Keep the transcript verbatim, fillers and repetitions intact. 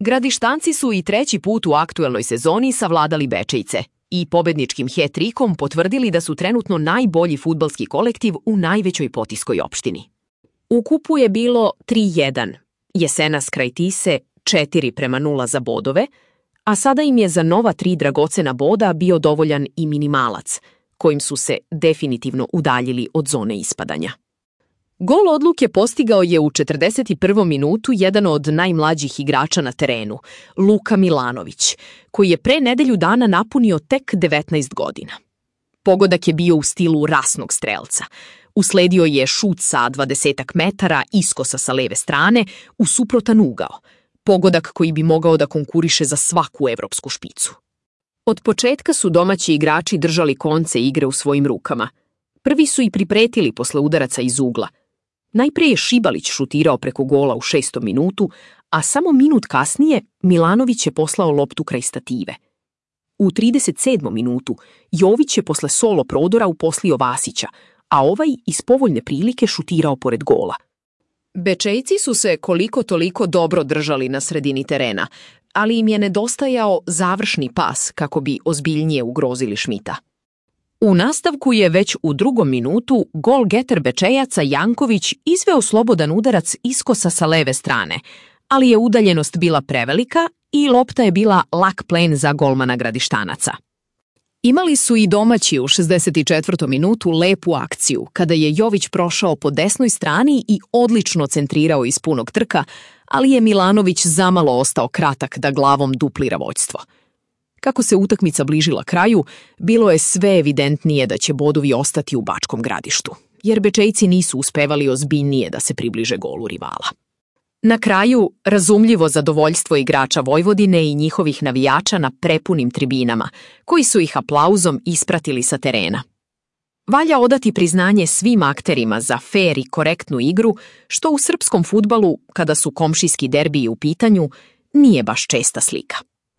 Gradištanci su i treći put u aktuelnoj sezoni savladali Bečejce i pobedničkim het-trikom potvrdili da su trenutno najbolji fudbalski kolektiv u najvećoj potiskoj opštini. U kupu je bilo tri jedan, Jesenas kraj Tise četiri prema nula za bodove, a sada im je za nova tri dragocena boda bio dovoljan i minimalac, kojim su se definitivno udaljili od zone ispadanja. Gol odluke postigao je u četrdeset prvom minutu jedan od najmlađih igrača na terenu, Luka Milanović, koji je pre nedelju dana napunio tek devetnaest godina. Pogodak je bio u stilu rasnog strelca. Usledio je šut sa dvadesetak metara iskosa sa leve strane u suprotan ugao, pogodak koji bi mogao da konkuriše za svaku evropsku špicu. Od početka su domaći igrači držali konce igre u svojim rukama. Prvi su i pripretili posle udaraca iz ugla. Najpre je Šibalić šutirao preko gola u šestom minutu, a samo minut kasnije Milanović je poslao loptu kraj stative. U trideset sedmom minutu Jović je posle solo prodora uposlio Vasića, a ovaj iz povoljne prilike šutirao pored gola. Bečejci su se koliko toliko dobro držali na sredini terena, ali im je nedostajao završni pas kako bi ozbiljnije ugrozili Šmita. U nastavku je već u drugom minutu golgeter Bečejaca Janković izveo slobodan udarac iskosa sa leve strane, ali je udaljenost bila prevelika i lopta je bila lak plen za golmana Gradištanaca. Imali su i domaći u šezdeset četvrtom minutu lepu akciju, kada je Jović prošao po desnoj strani i odlično centrirao iz punog trka, ali je Milanović zamalo ostao kratak da glavom duplira vođstvo. Kako se utakmica bližila kraju, bilo je sve evidentnije da će bodovi ostati u Bačkom Gradištu, jer Bečejci nisu uspevali ozbiljnije da se približe golu rivala. Na kraju, razumljivo zadovoljstvo igrača Vojvodine i njihovih navijača na prepunim tribinama, koji su ih aplauzom ispratili sa terena. Valja odati priznanje svim akterima za fer i korektnu igru, što u srpskom fudbalu, kada su komšijski derbiji u pitanju, nije baš česta slika.